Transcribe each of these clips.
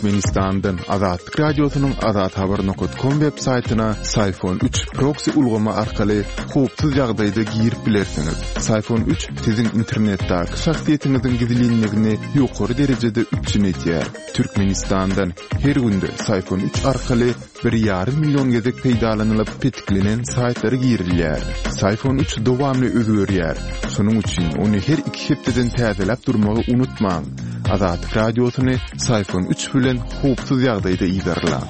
Türkmenistandan Azatlyk Radiosynyň azathabar nokat kom web saýtyna Syfon 3 proksi ulgamy arkaly howpsuz ýagdaýda girip bilersiňiz. Syfon 3 siziň internetdäki şahsyýetiňiziň gizlinligini ýokary derejede üpjün edýär. Türkmenistandan her günde Syfon 3 arkaly bir ýarym million gezek peýdalanylyp petiklenen saýtlara girilýär. Syfon 3 dowamly özgerýär. Şonuň üçin ony her iki hepdeden täzeläp durmagy unutmaň. Azatlyk Radiosyny Syfon 3 bilen howpsuz ýagdaýda yzarlaň.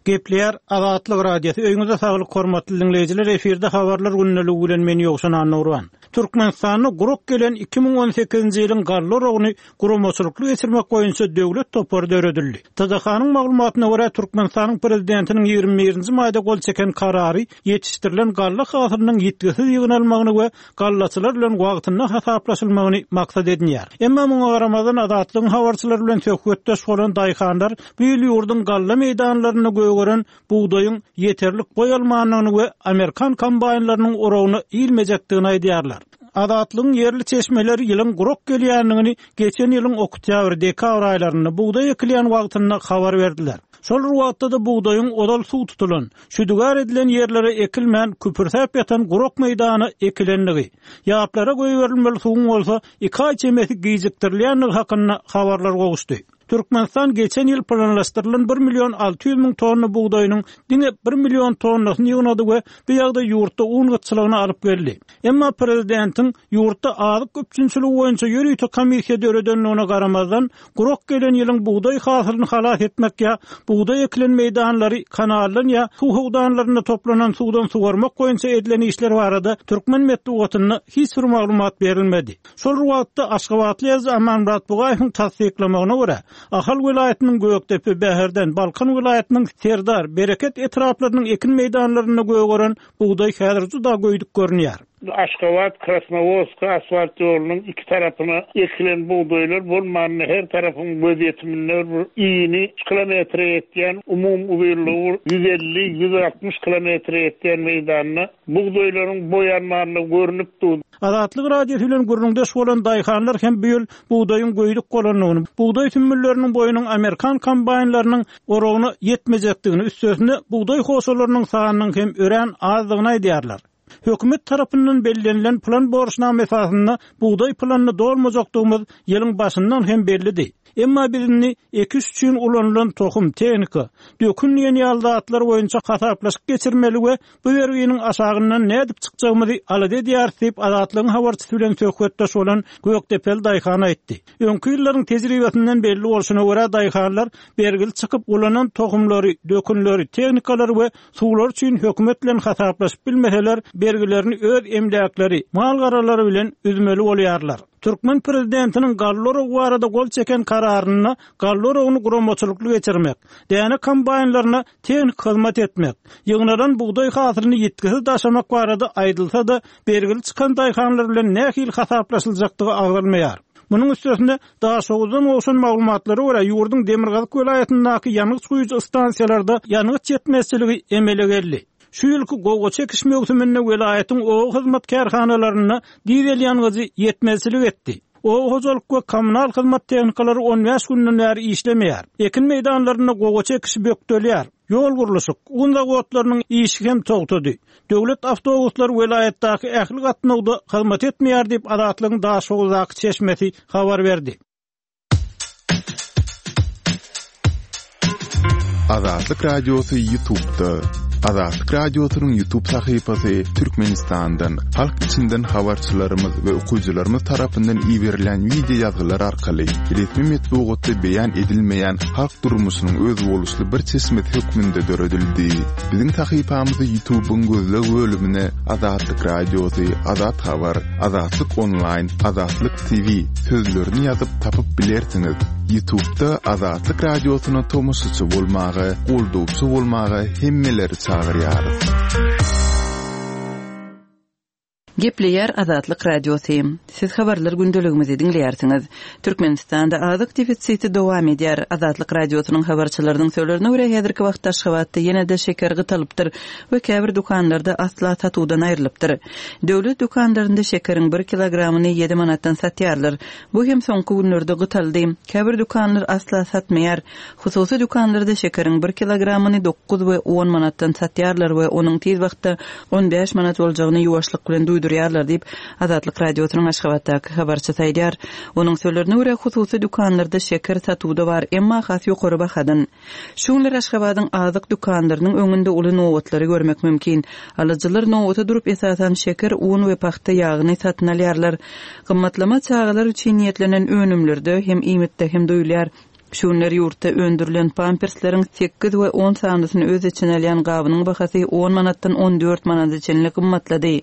Gepleýär Azatlyk Radiosy. Öýüňize saglyk hormatly diňleýjiler. Efirde habarlar gündeligi bilen men Ýowşan Annagurban. Türkmenistanda gurak gelen 2018-nji ýylyň galla oragyny guramaçylykly geçirmek boýunça döwlet topary döredildi. TDH-nyň maglumatyna görä, Türkmenistanyň Prezidentiniň 21-nji maýda gol çeken Karary ýetişdirilen galla hasylynyň ýitgisiz ýygnalmagyny we gallaçylar bilen wagtynda hasaplaşylmagyny maksat edinýär. Emma muňa garamazdan, Azatlygyň habarçylary bilen söhbetdeş bolan daýhanlar bu ýyl ýurduň galla meýdanlarynda gögeren bugdaýyň ýeterlik boý almandygyny we amerikan kombaýnlarynyň oragyna ilmejekdigini aýdýarlar. Azatlygyň ýerli çeşmeleri ýylyň gurak gelýändigini geçen ýylyň oktýabr, dekabr aýlarynda, bugdaý ekilýän wagtynda habar berdiler. Şol bir wagtda-da bugdaýyň ozal suw tutulan, şüdügär edilen ýerlere ekilmän, küpürsäp ýatan gurak meýdana ekilendigi, ýaplara goýberilmeli suwuň bolsa iki aý çemesi gijikdirilýändigi hakynda habarlar gowuşdy. Türkmenistan geçen ýyl planlaşdyrylan bir million 600 müň tonna bugdaýynyň diňe bir million tonnasyny ýygnady we bu ýagdaý ýurtda un gytçylygyna alyp geldi. Emma prezidentiň ýurtda azyk üpjünçiligi boýunça ýörite komissiýa döredendigine garamazdan, Gurak gelen ýylyň bugdaý hasylyny halas etmek ýa bugdaý ekilen meýdanlary kanaldan ýa suw howdanlarynda toplanan suwdan suwarmak boýunça edilen işler barada türkmen metbugatynda hiç bir maglumat berilmedi. Şol bir wagtda, aşgabatly ýazyjy Amanmyrat Bugaýewiň tassyklamagyna görä, Ahal welaýatynyň Gökdepe, Bäherden, Balkan welaýatynyň Serdar, Bereket etraplarynyň ekin meýdanlarynda gögeren bugdaý häzir juda göýdük görünýär. Aşgabat, Krasnowodsk asfalt ýolunyň iki tarapyna ekilen bugdaýlar bolmanda her tarapyň gözýetiminde bir ini üç kilometre ýetýän, umumy uzynlygy bir 150, 160 kilometre ýetýän meýdanda bugdaýlaryň boýanmanlygy görnüp dur. Azatlyk Radiosy bilen gürrüňdeş bolan daýhanlar hem bu ýyl bugdaýyň göýdük bolandygyny, bugdaý sümmülleriniň boýunyň amerikan kombaýnlarynyň oragyna ýetmejekdigini, üstesine bugdaý hoşalarynyň sanynyň hem örän azdygyny aýdýarlar. Hökümet tarapyndan bellenilen plan borçnama esasynda bugdaý planyny dolmajakdygymyz ýylyň başyndan hem bellidi. Emma biz indi ekiş üçin ulanylan tohum, tehnika, dökün diýen ýaly zatlar boýunça hasaplaşyk geçirmeli we bu berginiň aşagyndan nädip çykjagymyzy alada edýäris diýip, Azatlygyň habarçysy bilen söhbetdeş bolan gökdepeli daýhan aýtdy. Öňki ýyllaryň tejribesinden belli bolşuna görä, daýhanlar bergili çykyp ulanan tohumlary, dökünleri, tehnikalary we Suwlar üçin hökümet bilen hasaplaşyp bilmeseler, bergilerini öz emläkleri, mal-garalary bilen üzmeli bolýarlar. Türkmen prezidentiniň galla oragy barada gol çeken kararynda galla oragyny guramaçylykly geçirmek, däne kombaýnlaryna tehniki hyzmat etmek, ýygnalan bugdaý hasylyny ýitgisiz daşamak barada aýdylsa-da, bergili çykan daýhanlar bilen nähili hasaplaşyljakdygy agzalmaýar. Munuň üstesine, Daşoguzdan gowşan maglumatlara görä, ýurduň demirgazyk welaýatyndaky ýangyç guýujy stansiýalarda ýangyç ýetmezçiligi emele geldi. Şu ýylky gowaça ekiş möwsüminde welaýatyň oba hyzmat kärhanalarynda dizel ýangyjy ýetmezçilik etdi. Oba hojalyk we kommunal hyzmat tehnikalary on bäş günden bäri işlemeýär. Ekin meýdanlarynda gowaça ekişi bökdelýär. Ýol gurluşyk, un zawodlarynyň işi hem togtady. Döwlet awtobuslary welaýatdaky ähli gatnawda hyzmat etmeýär diýip, Azatlygyň Daşoguzdaky çeşmesi habar berdi. Azatlyk Radiosy YouTube'da. Azatlyk Radiosynyň YouTube sahypasy Türkmenistandan, halk içinden habarçylarymyz we okyjylarymyz tarapyndan iberilen wideo ýazgylar arkaly resmi metbugatda beýan edilmeýän halk durmuşynyň özboluşly bir çeşmesi hökmünde döredildi. Biziň sahypamyzy YouTube-yň gözleg bölümine Azatlyk Radiosy, Azat Habar, Azatlyk Onlaýn, Azatlyk TV sözlerini ýazyp tapyp bilersiňiz. YouTube-da Azatlyk Radiosyna tomaşaçy bolmaga, goldawçy bolmaga hemmeleri çagyrýarys. Gepleýär Azatlyk Radiosy. Siz habarlar gündeligimizi diňleýärsiňiz. Türkmenistanda azyk defisiti dowam edýär. Azatlyk Radiosynyň habarçylarynyň sözlerine görä, häzirki wagtda Aşgabatda ýene-de şeker gytalypdyr we käbir dükanlarda asla satuwdan aýrylypdyr. Döwlet dükanlarynda şekeriň bir kilogramyny ýedi manatdan satýarlar. Bu hem soňky günlerde gytaldy. Käbir dükanlar asla satmaýar. Hususy dükanlarda şekeriň bir kilogramyny dokuz we on manatdan satýarlar we onuň tiz wagtda 15 manat boljagyny ýuwaşlyk bilen duýdurýarlar diýip, Azatlyk Radiosynyň Aşgabatdaky habarçysy aýdýar. Onuň sözlerine görä, hususy dükanlarda şeker satuwda bar, emma has ýokary bahadan. Şu günler Aşgabadyň azyk dükanlarynyň öňünde uly nobatlary görmek mümkin. Alyjylar nobata durup, esasan, şeker, un we pagta ýagyny satyn alýarlar. Gymmatlama çagalar üçin niýetlenen önümlerde hem, iýmitde hem duýulýar. Şu günler ýurtda öndürilen pampersleriň sekiz we on sanysyny öz içine alýan gabynyň bahasy on manatdan 14 manada çenli gymmatlady.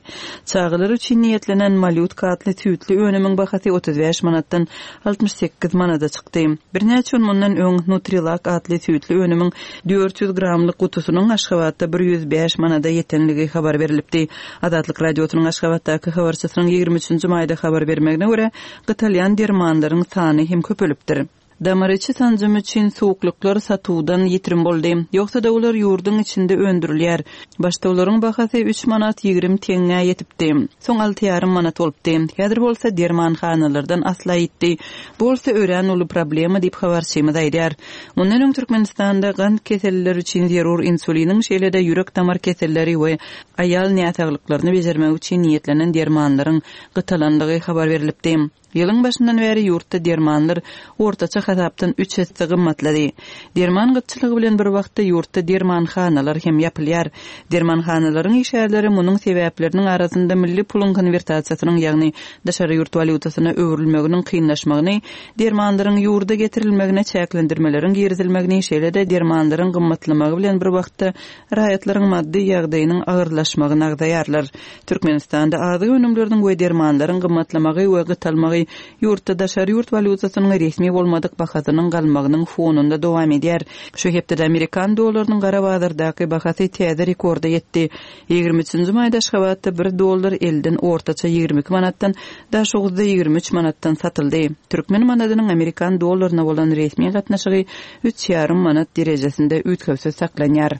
Çagalar üçin niýetlenen Malýutka atly süýtli önümiň bahasy 35 manatdan 68 manada çykdy. Birnäçe gün mundan öň Nutrilak atly süýtli önümiň 400 gramlyk gutusynyň Aşgabatda 105 manada ýetenligi habar berlipdi. Azatlyk Radiosynyň Aşgabatdaky habarçysynyň 23-nji maýda habar bermegine görä, gytalýan dermanlaryň sany hem köpelipdir. Damar içi sanjym üçin suwuklyklar satuwdan ýitirim boldy. Ýogsa-da olar ýurduň içinde öndürilýär. Başda olaryň bahasy üç manat 20 teňňä ýetipdi. Soň alty ýarym manat bolupdy. Häzir bolsa dermanhanalardan asla ýitdi. Bu bolsa örän uly problema diýip habarçymyz aýdýar. Mundan öň Türkmenistanda gant kesellileri üçin zerur insuliniň şeýle-de ýürek-damar keselleri we aýal näsaglyklaryny bejermek üçin niýetlenen dermanlaryň gytalandygy habar berlipdi. Ýylyň başyndan bäri ýurtda dermanlar ortaça hasapdan üç esse gymmatlady. Derman gytçylygy bilen bir wagtda ýurtda dermanhanalar hem ýapylýar. Dermanhanalaryň işgärleri munuň sebäpleriniň arasynda milli puluň konwertasiýasynyň, ýagny daşary ýurt walýutasyna öwrülmeginiň kynlaşmagyny, dermanlaryň ýurda getirilmegine çäklendirmeleriň girizilmegini, şeýle-de dermanlaryň gymmatlamagy bilen bir wagtda raýatlaryň maddy ýagdaýynyň agyrlaşmagyny agzaýarlar. Türkmenistanda azyk önümleriniň we dermanlaryň gymmatlamagy we gytalmagy ýurtda daşary ýurt walýutasynyň resmi bolmadyk bahasynyň galmagynyň fonunda dowam edýär. Şu hepdede amerikan dollarynyň gara bazardaky bahasy täze rekorda ýetdi. 23-nji maýda Aşgabatda bir dollar elden ortaça 22 manatdan, Daşoguzda 23 manatdan satyldy. Türkmen manadynyň amerikan dollaryna bolan resmi gatnaşygy üç ýarym manat derejesinde üýtgewsiz saklanýar.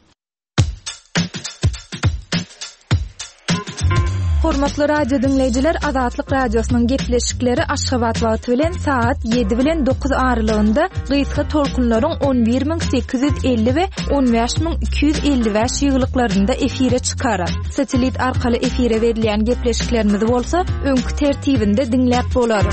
Hormatly radio diňleýjiler, Azatlyk Radiosynyň gepleşikleri Aşgabat wagty bilen sagat 7 bilen 9 aralygynda gysga tolkunlaryň 11850 we 15255 ýygylyklarynda efire çykar. Satellit arkaly efire berilýän gepleşiklerimizi bolsa öňki tertibinde diňläp bolar.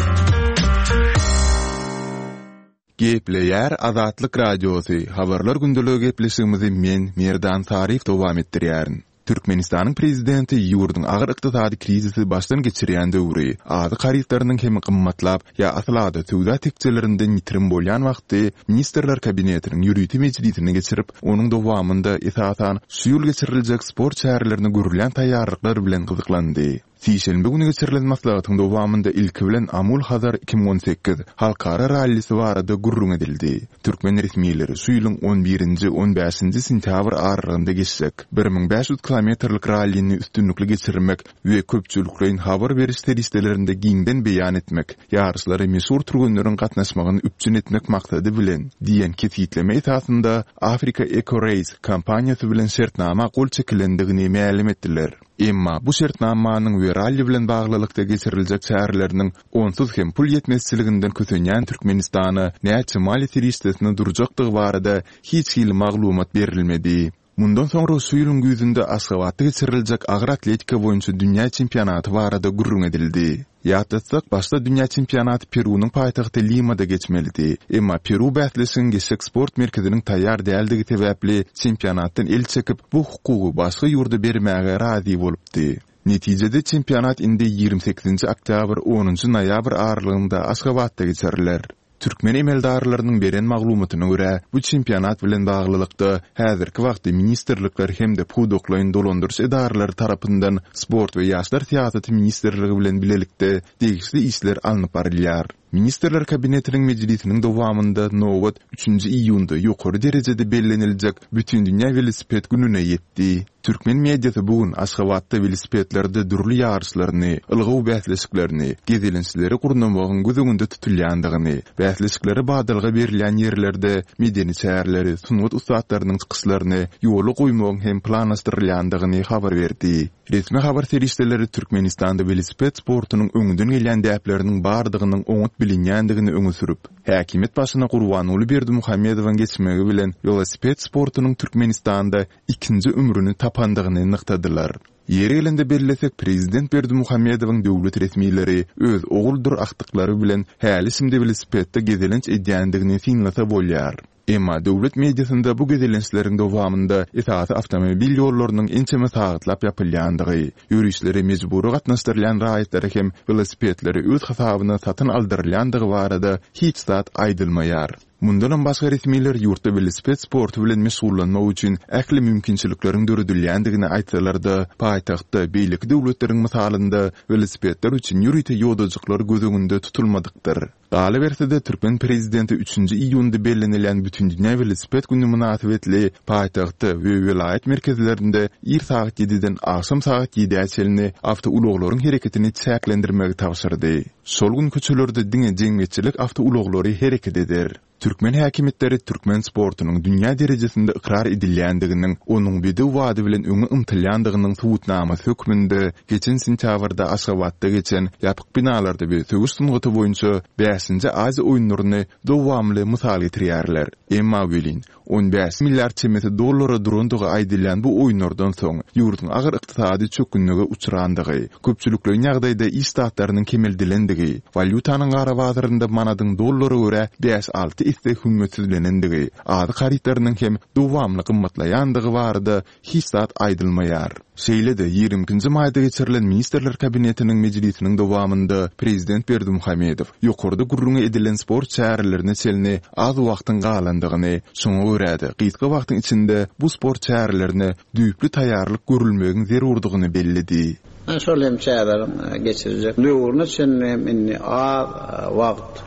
Gepleýär Azatlyk Radiosy, Habarlar gündeligi gepleşigimizi men, Merdan Saryýew dowam etdirýärin. Türkmenistanyň Prezidenti ýurduň agyr ykdysady krizisi başdan geçirýän döwri, azyk harytlarynyň hem gymmatlap ýa asla-da söwda tekjelerinden ýitirim bolýan wagty Ministrler Kabinetiniň ýörite mejlisini geçirip, onuň dowamynda, esasan, şu ýyl geçiriljek sport çärelerine görülýän taýýarlyklar bilen gyzyklandy. Sişenbe güni geçirilen maslahatyň dowamynda ilki bilen Amul-Hazar 2018 halkara rallisi barada gürrüň edildi. Türkmen resmileri şu ýylyň on birinji, on bäşinji sentýabr aralygynda geçjek 1500 kilometrlik rallini üstünlikli geçirmek we köpçülikleýin habar beriş serişdelerinde giňden beýan etmek, ýaryşlara meşhur türgenleriň gatnaşmagyny üpjün etmek maksady bilen diýen kesgitleme esasynda Africa Eco Race kompaniýasy bilen şertnama gol çekilendigini mälim etdiler. Emma bu şertnamanyň we ralli bilen baglylykda geçiriljek çäreleriniň onsuz hem pul ýetmezçiliginden kösenýän Türkmenistana näçe maliýe serişdesine durjakdygy barada hiç hili maglumat berilmedi. Mundan soňra şu ýylyň güýzünde Aşgabatda geçiriljek agyr atletika boýunça dünýä çempionaty barada gürrüň edildi. Ýatlatsak, başda dünýä çempionaty Perunyň paýtagty Limada geçmelidi. Emma Peru bäsleşigiň geçjek sport merkeziniň taýýar däldigi sebäpli çempionatdan el çekip, bu hukugy başga ýurda bermäge razy bolupdy. Netijede çempionat indi 28-nji oktýabr, onunjy noýabr aralygynda Aşgabatda geçiriler. Türkmen emeldarlarynyň beren maglumatyna görä, bu çempionat bilen baglylykda, häzirki wagtda ministrlikler hem-de pudaklaýyn dolandyryş edaralary tarapyndan Sport we ýaşlar syýasaty ministrligi bilen bilelikde degişli işler alnyp barylýar. Ministrler Kabinetiniň mejlisiniň dowamynda nobat üçünji iýunda ýokary derejede belleniljek Bütindünýä welosiped gününe ýetdi. Türkmen mediasy bu gün Aşgabatda welosipedlerde dürli ýaryşlaryny, ylgaw bäsleşiklerini, gezelençleri gurnamagyň göz öňünde tutulýandygyny, bäsleşiklere badalga berilýän ýerlerde medeni çäreleri, sungat ussatlarynyň çykyşlaryny ýola goýmagyň hem planlaşdyrylýandygyny habar berdi. Resmi habar serişdeleri Türkmenistanda welosiped sportunyň öňden gelýän däpleriniň bardygynyň oňat bilinýändigini öňe sürüp, häkimiýet başyna Gurbanguly Berdimuhamedowyň geçmegi bilen welosiped sportunyň Türkmenistanda ikinji ömrüni tapandygyny nygtadylar. Ýeri gelende bellesek, prezident Berdimuhamedowyň döwlet resmileri öz oguldyr agtyklary bilen häli-şindi welosipedde gezelenç edýändigini synlasa bolýar. Emma döwlet mediasynda bu gezelençleriň dowamynda esasy awtomobil ýollarynyň ençeme sagatlap ýapylýandygy, ýörişlere mejbury gatnaşdyrylýan raýatlara hem welosipedleri öz hasabyna satyn aldyrylýandygy barada hiç zat aýdylmaýar. Mundanam başga resmiler ýurtda welosiped sporty bilen meşgullanmak üçin ähli mümkinçilikleriň döredilýändigini aýtsalar-da, paýtagtda beýleki döwletleriň mysalynda welosipedler üçin ýörite ýodajyklar göz öňünde tutulmadykdyr. Galyberse-de, türkmen prezidenti üçünji iýunda bellenilýän Bütindünýä welosiped güni mynasybetli paýtagtda we welaýat merkezlerinde ir sagat ýediden agşam sagat ýedä çenli awtoulaglaryň hereketini çäklendirmegi tabşyrdy. Şol gün köçelerde diňe jemgyýetçilik awtoulaglary hereket eder. Türkmen häkimiýetleri türkmen sportunyň dünýä derejesinde ykrar edilýändiginiň, onuň bedew bady bilen öňe ymtylýandygynyň subutnamasy hökmünde geçen sentýabrda Aşgabatda geçen ýapyk binalarda we söweş sungaty boýunça bäşinji Aziýa oýunlaryny dowamly mysal getirýärler. Emma welin, 15 milliard çemesi dollara durandygy aýdylýan bu oýunlardan soň ýurduň agyr ykdysady çökgünlige uçrandygy, köpçülikleýin ýagdaýda iş ştatlarynyň kemeldilendigi, walýutanyň gara bazarynda manadyň dollara görä bäş-alty esse hümmetsizlenendigi, azyk harytlarynyň hem dowamly gymmatlaýandygy barada hiç zat aýdylmaýar. Şeýle-de, 22 nji maýda geçirilen Ministrler Kabinetiniň mejlisiniň dowamynda prezident Berdimuhamedow ýokarda gürrüňi edilen sport çärelerine çenli az wagtyň galandygyny, şoňa görä-de, gysga wagtyň içinde bu sport çärelerine düýpli taýýarlyk görülmegiň zerurdygyny belledi. Şol hem çäreleriň geçiriljek döwrüne çenli hem indi az wagt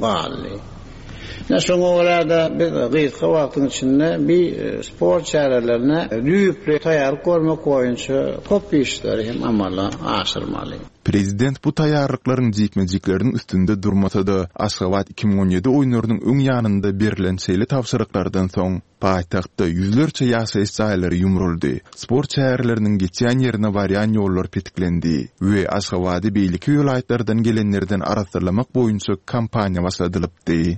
galdy. Ine, şoňa görä-de, biz gysga wagtyň içinde bi sport çärelerine düýpli taýýarlyk görmek boýunça köp işleri hem amala aşyrmaly. Prezident bu taýýarlyklaryň jikme-jikleriniň üstünde durmasa-da, Aşgabat 2017 oýunlarynyň öň ýanynda berlen şeýle tabşyryklardan soň, Paýtagtda ýüzlerçe ýaşaýyş jaýlary ýumruldy, sport çäreleriniň geçýän ýerine barýan ýollar petiklendi we Aşgabady beýleki welaýatlardan gelenlerden arassalamak boýunça kampaniýa başladylypdy.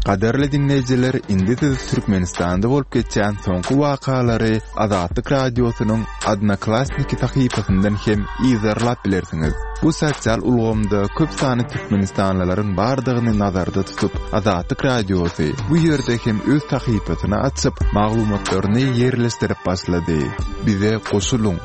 Gadyrly diňleýjiler, indi siz Türkmenistanda bolup geçýän soňky wakalary Azatlyk Radiosynyň Odnoklassniki sahypasyndan hem yzarlap bilersiňiz. Bu sosial ulgamda köp sanly türkmenistanlylaryň bardygyny nazarda tutup, Azatlyk Radiosy bu ýerde hem öz sahypasyny açyp, maglumatlaryny ýerleşdirip başlady. Bize goşulyň!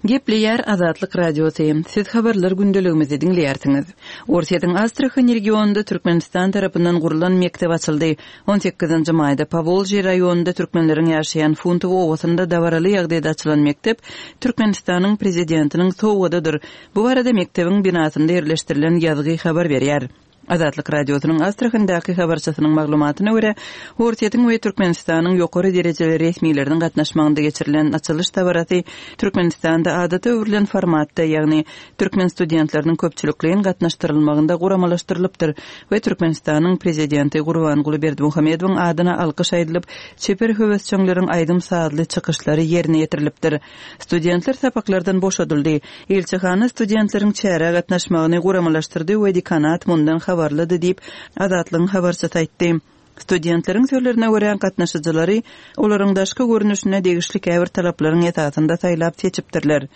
Gepleýär Azatlyk Radiosy, Siz habarlar gündeligimizi diňleýärsiňiz. Orsýetiň Astrahan regionynda Türkmenistan tarapyndan gurlan mekdep açyldy. On sekizinji maýda Powolžýe raýonynda türkmenleriň ýaşaýan Funtowo obasynda dabaraly ýagdaýda açylan mekdep Türkmenistanyň Prezidentiniň sowgadydyr. Bu barada mekdebiň binasynda ýerleşdirilen ýazgy habar berýär. Azatlyk Radiosynyň Astrahandaky habarçysynyň maglumatyna görä, Orsýetiň we Türkmenistanyň ýokary derejeli resmileriniň gatnaşmagynda geçirilen açylyş dabarasy Türkmenistanda adata öwrülen formatda, ýagny türkmen studentleriniň köpçülikleýin gatnaşdyrylmagynda guramalaşdyrylypdyr we Türkmenistanyň Prezidenti Gurbanguly Berdimuhamedowyň adyna alkyş aýdylyp, çeper höwesjeňleriň aýdym-sazly çykyşlary ýerine ýetirilipdir. Studentler sapaklardan boşadyldy. Ilçihana studentleriň çärä gatnaşmagyny guramalaşdyrdy we dekanat mundan habarlydy diýip, Azatlygyň habarçysy aýtdy. Studentleriň sözlerine görä, gatnaşyjylary olaryň daşky görnüşine degişli käbir talaplaryň esasynda saýlap seçipdirler.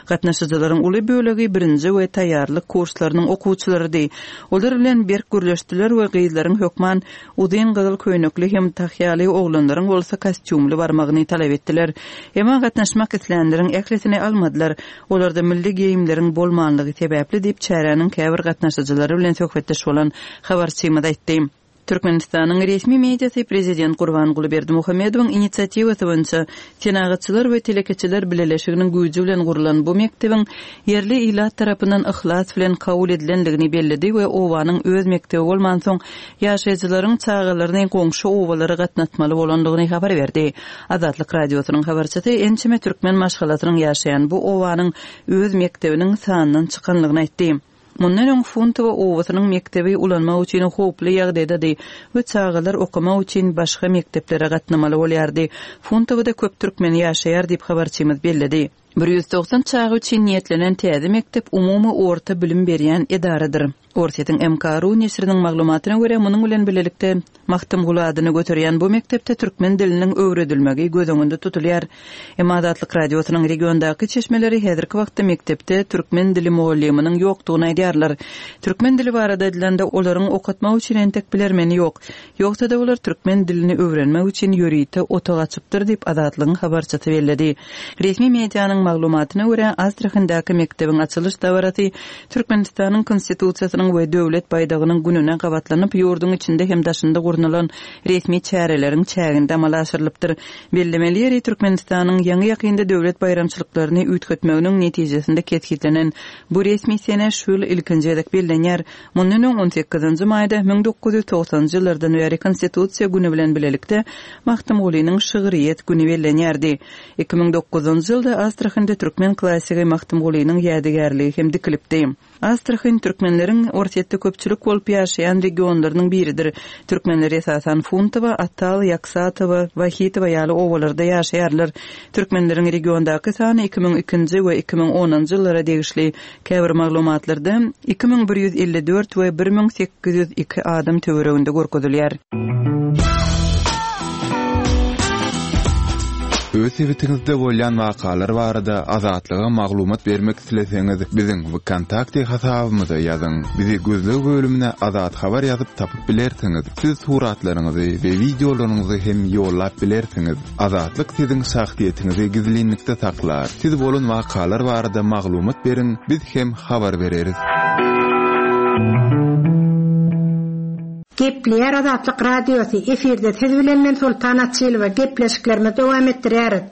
Gatnaşyjylaryň uly bölegi birinji we taýýarlyk kurslarynyň okuwçylarydy. Olar bilen berk gürleşdiler we gyzlaryň hökman uzyn gyzyl köýnekli hem tahýaly, oglanlaryň bolsa kostýumly barmagyny talap etdiler. Emma gatnaşmak islänleriň ählisini almadylar. Olarda milli geýimleriň bolmanlygy sebäpli diýip, çäräniň käbir gatnaşyjylary bilen söhbetdeş bolan habarçymyz aýtdy. Türkmenistanyň resmi mediasy prezident Gurbanguly Berdimuhamedowyň inisiatiwasy boýunça Senagatçylar we telekeçiler bileleşiginiň güýji bilen gurlan bu mekdebiň ýerli ilat tarapyndan yhlas bilen kabul edilendigini belledi we obanyň öz mekdebi bolmansoň, ýaşaýjylaryň çagalaryny goňşy obalara gatnatmaly bolandygyny habar berdi. Azatlyk Radiosynyň habarçysy ençeme türkmen maşgalasynyň ýaşaýan bu obanyň öz mekdebiniň sandan çykanlygyny aýtdy. Mundan öň Funtowo obasynyň mekdebi ulanmak üçin howply ýagdaýdady we çagalar okamak üçin başga mekdeplere gatnamaly bolýardy. Funtowoda köp türkmen ýaşaýar diýip habarçymyz belledi. 190 çaga üçin niýetlenen täze mekdep umumy orta bilim berýän edaradyr. Orsýetiň MK. Ru neşiriniň maglumatyna görä, munuň bilen bilelikde, Magtymguly adyny göterýän bu mekdepde türkmen diliniň öwredilmegi göz öňünde tutulýar. Emma Azatlyk Radiosynyň regiondaky çeşmeleri häzirki wagtda mekdepde türkmen dili mugallymynyň ýokdugyny aýdýarlar. Türkmen dili barada aýdylanda, olaryň okatmak üçin entek bilermeni ýok. Ýogsa-da olar türkmen dilini öwrenmek üçin ýörite otag açypdyr diýip, Azatlygyň habarçysy belledi. Resmi medianyň maglumatyna görä, Astrahandaky mekdebiň açylyş dabarasy Türkmenistanyň Konstitusiýasynyň we Döwlet baýdagynyň gününe gabatlanyp, ýurduň içinde hem daşynda gurnalan resmi çäreleriň çäginde amala aşyrylypdyr. Bellemeli ýeri, Türkmenistanyň ýaňy-ýakynda döwlet baýramçylyklaryny üýtgetmeginiň netijesinde kesgitlenen bu resmi sene şu ýyl ilkinji gezek bellenýär. Mundan öň on sekizinji maýda 1990-njy ýyllardan bäri Konstitusiýa güni bilen bilelikde Magtymgulynyň şygryýet güni bellenýärdi. 2009-njy ýylda Astrahanda türkmen klassigi Magtymgulynyň ýadygärligi hem dikilipdi. Astrahan türkmenleriň Orsýetde köpçülik bolup ýaşaýan regionlarynyň biridir. Türkmenler esasan Funtowa, Atal, Ýaksatowa, Wahitowa ýaly obalarda ýaşaýarlar. Türkmenleriň regiondaky sany 2002-nji we 2010-njy ýyllara degişli Käbir maglumatlarda 2154 we 1802 adam töwereginde görkezilýär. Öz sebitiňizde bolýan wakalar barada Azatlyga maglumat bermek isleseňiz, biziň Wkontakte hasabymyza ýazyň. Bizi gözleg bölümine Azat Habar ýazyp tapyp bilersiňiz. Siz suratlaryňyzy we wideolaryňyzy hem ýollap bilersiňiz. Azatlyk siziň şahsyýetiňizi gizlinlikde saklar. Siz bolan wakalar barada maglumat beriň, biz hem habar bereris. Gepleýär Azatlyk Radiosy, efirde siz bilen men Soltan Açylowa, gepleşiklerimizi dowam etdirýäris.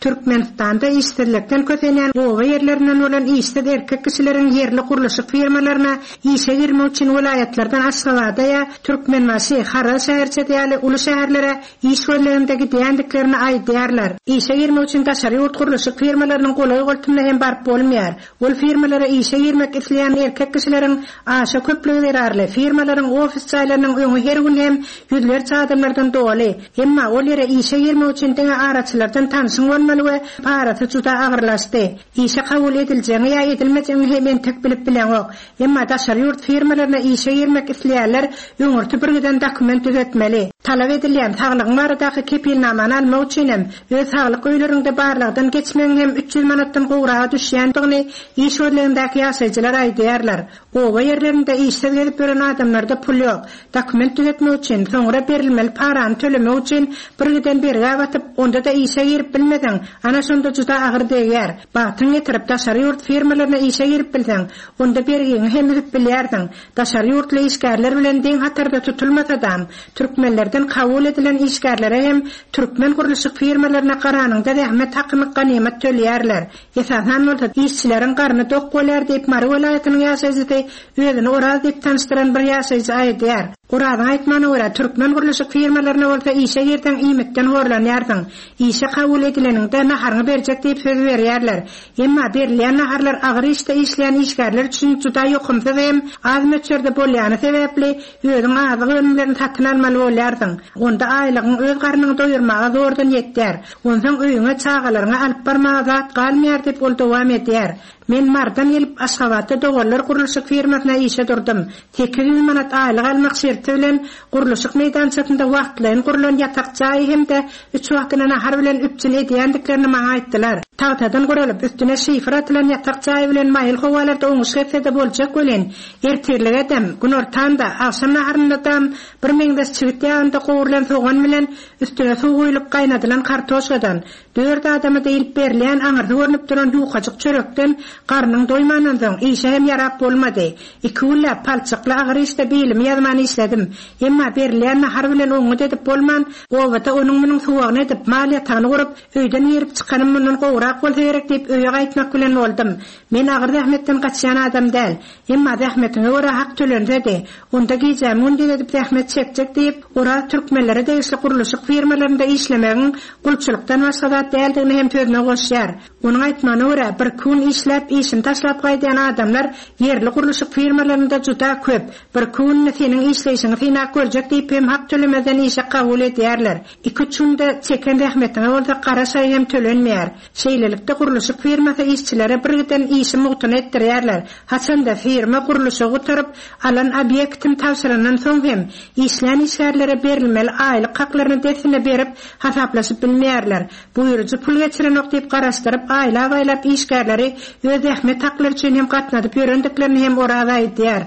Türkmenistanda işsizlikden kösenýän oba ýerlerinden bolan işsiz erkek kişileriň ýerli gurluşyk firmalaryna işe girmek üçin welaýatlardan Aşgabada ýa Türkmenbaşy, Haraz şäherçesi ýaly uly şäherlere iş gözleginde gidýändiklerini aýdýarlar. Işe girmek üçin daşary ýurt gurluşyk firmalarynyň golaý-goltumyna hem baryp bolmaýar. Ol firmalara işe girmek isleýän erkek kişileriň aşa köplügi zerarly, firmalaryň ofis jaýlarynyň öňi her gün hem ýüzlerçe adamlardan doly. Emma ol ýere işe girmek üçin diňe araçylardan tanşyň bolmaly we parasy juda agyrlaşdy. Işe kabul ediljegiňi ýa edilmejegiňi hem entek bilip bileňok. Emma daşary ýurt firmalaryna işe girmek isleýänler öňürti birgiden dokument düzetmeli. Talap edilýän saglygyň baradaky kepilnamany almak üçin hem öz saglyk öýleriňde barlagdan geçmegiň hem 300 manatdan gowraga düşýändigini iş gözlegindäki ýaşaýjylar aýdýarlar. Oba ýerlerinde işsiz gezip ýören adamlarda pul ýok. Dokument düzetmek üçin, soňra berilmeli parany tölemek üçin birgiden bergä batyp, onda-da işe girip bilmeseň, ana şonda juda agyr degýär. Bagtyň getirip, daşary ýurt firmalaryna işe girip bilseň, onda bergiňi hem üzüp bilýärsiň. Daşary ýurtly işgärler bilen deň hatarda tutulmasadam, türkmenlerden kabul edilen işgärlere hem türkmen gurluşyk firmalaryna garanyňda zähmet hakyny ganymat töleýärler. Esasan bolsa, işçileriň garny dok bolýar diýip, Mary welaýatynyň ýaşaýjysy, özüni Oraz diýip tanyşdyran bir ýaşaýjy aýdýar. Orazyň aýtmagyna görä, türkmen gurluşyk firmalaryna bolsa işe girseň iýmitden horlanýarsyň. Işe kabul edileniňde naharyňy berjek diýip söz berýärler. Emma berilýän naharlar agyr işde işleýän işgärler üçin juda ýokumsyz hem az möçberde bolýany sebäpli, özüň azyk önümlerini satyn almaly bolýarsyň. Onda aýlygyň öz garnyňy doýurmaga zordan ýetýär. Onsoň öýüňe, çagalaryňa alyp barmaga zat galmaýar diýip, ol dowam edýär. Men Marydan gelip, Aşgabatda Doganlar gurluşyk firmasyna işe durdum. 800 manat aýlyk almak şerti bilen gurluşyk meýdançasynda wagtlaýyn gurlan ýatak jaýy hem-de üç wagtyna nahar bilen üpjün edýändiklerini maňa aýtdylar. Tagtadan guralyp, üstüne şifer atylan ýatak jaýy bilen maýyl howalarda oňuşyk etse-de boljak welin, ertirlige-dem, günortan-da, agşam naharynda-dam bir meňzeş çigit ýagynda gowrulan sogan bilen üstüne suw guýlup gaýnadylan kartoşkadan, Dört adama diýlip berilýän aňyrsy görnüp duran ýukajyk çörekden garnyň doýmandan soň, işe hem ýarap bolmady. Iki günläp palçykly agyr işde bilimi ýazman işledim. Emma berilýän nahar bilen oňňut edip bolman, obada onuň-munuň suwagyny edip, mal ýatagyny gurup, öýden girip çykanym mundan gowurak bolsa gerek diýip öýe gaýtmak bilen boldum. Men agyr zähmetden gaçýan adam däl. Emma zähmetiňe görä hak tölensedi, onda gijämi gündiz edip zähmet çekjek diýip, Oraz türkmenlere degişli gurluşyk firmalarynda işlemegiň gulçulykdan başga zat däldigini hem sözüne goşýar. Onuň aýtmagyna görä, birki gün işläp, işini taşlap gaýdýan adamlar ýerli gurluşyk firmalarynda juda köp. Birki gününi seniň işleýşiňi synap görjek diýip hem hak tölemezden işe kabul edýärler. Iki-üç günde çeken zähmetiňe bolsa gara şaý hem tölenmeýär. Şeýlelikde, gurluşyk firmasy işçilere birgiden işi mugtuna etdirýärler. Haçanda firma gurluşygy gutaryp, alan obýektini tabşyrandan soň hem, işlän işgärlere berilmeli aýlyk haklaryny dessine berip, hasaplaşyp bilmeýärler. Buýrujy pul geçirenok diýip garaşdyryp, aýlap-aýlap işgärleri öz zähmet haklary üçin hem gatnadyp ýörendiklerini hem Oraz aýdýar.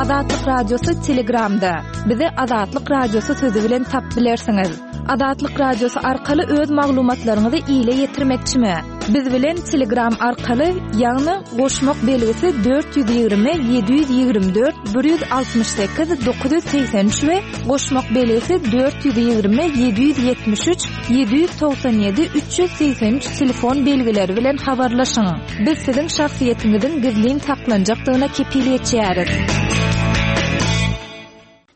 Azatlyk Radiosy Telegramda. Bizi Azatlyk Radiosy sözi bilen tapyp bilersiňiz. Azatlyk Radiosy arkaly öz maglumatlaryňyzy ile ýetirmekçimi? Biz bilen Telegram arkaly, ýagny goşmak belgisi 420 724 168 983 we goşmak belgisi 420 773 797 383 telefon belgileri bilen habarlaşyň. Biz siziň şahsyýetiňiziň gizlin saklanjakdygyna kepil geçýäris.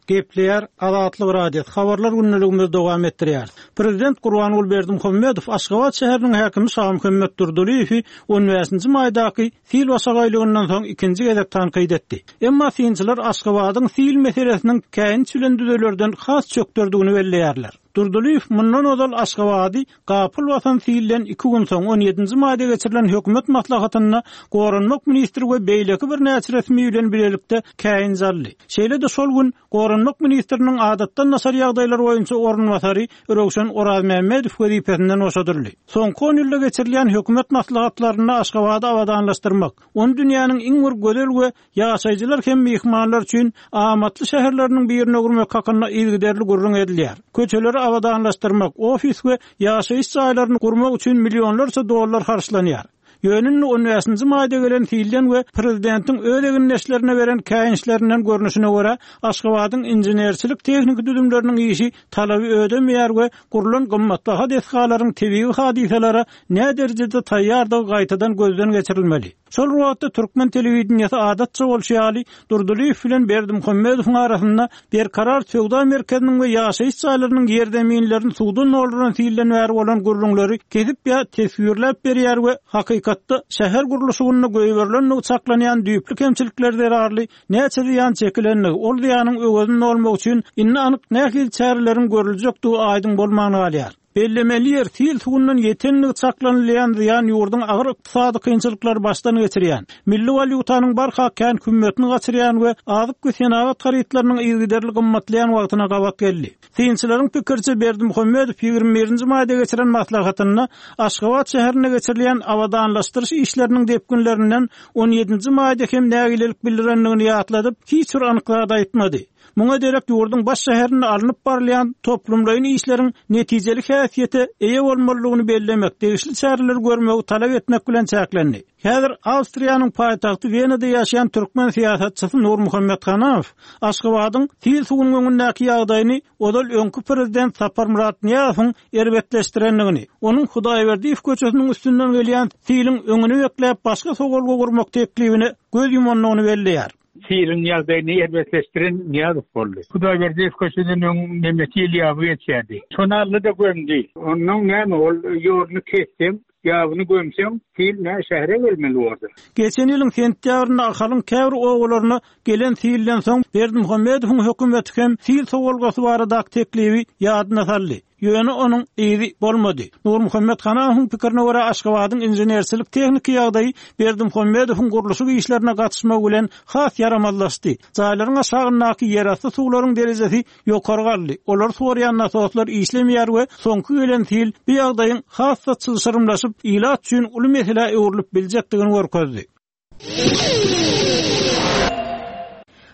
Gepleýär Azatlyk Radiosy, Habarlar gündeligimizi dowam etdirýäris. Prezident Gurbanguly Berdimuhamedow Aşgabat şäheriniň häkimi Şamuhammet Durdylyýewi on bäşinji maýdaky sil başagaýlygyndan soň ikinji gezek tankyt etdi. Emma synçylar Aşgabadyň sil meselesiniň käýinç bilen düzelerden has çökderdigini belleýärler. Durdylyýew mundan ozal Aşgabady Gapyl basan silden iki gün soň, on ýedinji maýda geçirilen hökümet maslahatynda goranmak ministri we beýleki birnäçe resmi bilen bilelikde käýinç aldy. Şeýle-de şol gün goranmak ministriniň adatdan daşary ýagdaýlar boýunça orunbasary Röwşen Orazmämmedow wezipesinden boşadyldy. Soňky on ýylda geçirilýän hökümet maslahatlarynda Aşgabady abadanlaşdyrmak, ony dünýäniň iň bir gözel we Ýaşaýjylar hem myhmanlar üçin amatly şäherleriniň birine öwürmek hakynda yzygiderli gürrüň edilýär. Köçeleri abadanlaşdyrmak, ofis we ýaşaýyş jaýlaryny gurmak üçin millionlarça dollar harçlanýar. Ýöne indi on bäşinji maýda gelen silden we prezidentiň öz egindeşlerine beren käýinçlerinden görnüşine görä, Aşgabadyň inženerçilik-tehniki düzümleriniň işi talaby ödemeýär we gurlan gymmatbaha desgalaryň tebigy hadysalara näderejede taýýardygy gaýtadan gözden geçirilmeli. Şol bir wagtda türkmen telewideniýesi adatça bolşy ýaly, Durdylyýew bilen Berdimuhamedowyň arasynda Berkarar söwda merkeziniň we ýaşaýyş jaýlarynyň ýerzeminlerini suwdan dolduran silden bäri bolan gürrüňleri kesip ýa teswirläp berýär we hakykatda şäher gurluşygynda goýberilendigi çaklanýan düýpli kemçilikler zerarly näçe zyýan çekilendigi, ol zyýanyň öwezini dolmak üçin indi anyk nähili çäreleriň görüljekdigi aýdyň bolman galýar. Bellemeli ýer, sil suwundan ýetendigi çaklanylýan zyýan ýurduň agyr ykdysady kynçylyklary başdan geçirýän, milli walýutanyň barha kän hümmetini gaçyrýan we azyk we senagat harytlarynyň yzygiderli gymmatlaýan wagtyna gabat geldi. Synçylaryň pikiriçe, Berdimuhamedow 21 nji maýda geçiren maslahatynda Aşgabat şäherinde geçirilýän abadanlaşdyryş işleriniň depginlerinden on ýedinji maýda hem nägilelik bildirendigini ýatladyp, hiç bir anyk zat aýtmady. Muňa derek ýurduň baş şäherinde alnyp barylýan toplumlaýyn işleriň netijeli häsiýete eýe bolmalydygyny bellemek, degişli çäreleri görmegi talap etmek bilen çäklendi. Häzir Awstriýanyň paýtagty Wenada ýaşaýan türkmen syýasatçysy Nurmuhammet Hanamow Aşgabadyň sil suwunyň öňündäki ýagdaýyny ozal öňki prezident Saparmyrat Nyýazowyň erbetleşdirendigini, onuň Hudaýberdiýew köçesiniň üstünden gelýän siliň öňüni bekläp başga sowalga gurmak teklibine göz ýumandygyny belleýär. Siliň ýagdaýyny erbetleşdiren Nyýazow boldy. Hudaýberdiýew köçeden öň neme sil ýaby geçýärdi. Şony aldy-da gömdi. Onnoň näme, ol ýoluny kesseň, ýabyny gömseň, sil nä şähere gelmeli bordy. Geçen ýylyň sentýabrynda Ahalyň käbir obalaryna gelen silden soň Berdimuhamedowyň hökümeti hem sil sowalgasy baradaky teklibi ýadyna saldy. Ýöne onuň yzy bolmady. Nurmuhammet Hanamowyň pikirine görä, Aşgabadyň inženerçilik-tehniki ýagdaýy Berdimuhamedowyň gurluşyk işlerine gatyşmagy bilen has ýaramazlaşdy. Jaýlaryň aşagyndaky ýerasty suwlaryň derejesi ýokary galdy, olary sorýan nasoslar işlemeýär we soňky gelen sil bu ýagdaýyň has-da çylşyrymlaşyp, ilat üçin uly meselä öwrülip biljekdigini görkezdi.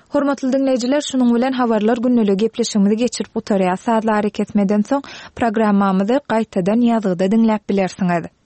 Hormatly diňleýjiler, şunuň bilen Habarlar gündeligi gepleşigimizi geçirip gutarýas. Sazly arakesmeden soň programmamyzy gaýtadan ýazgyda diňläp bilersiňiz.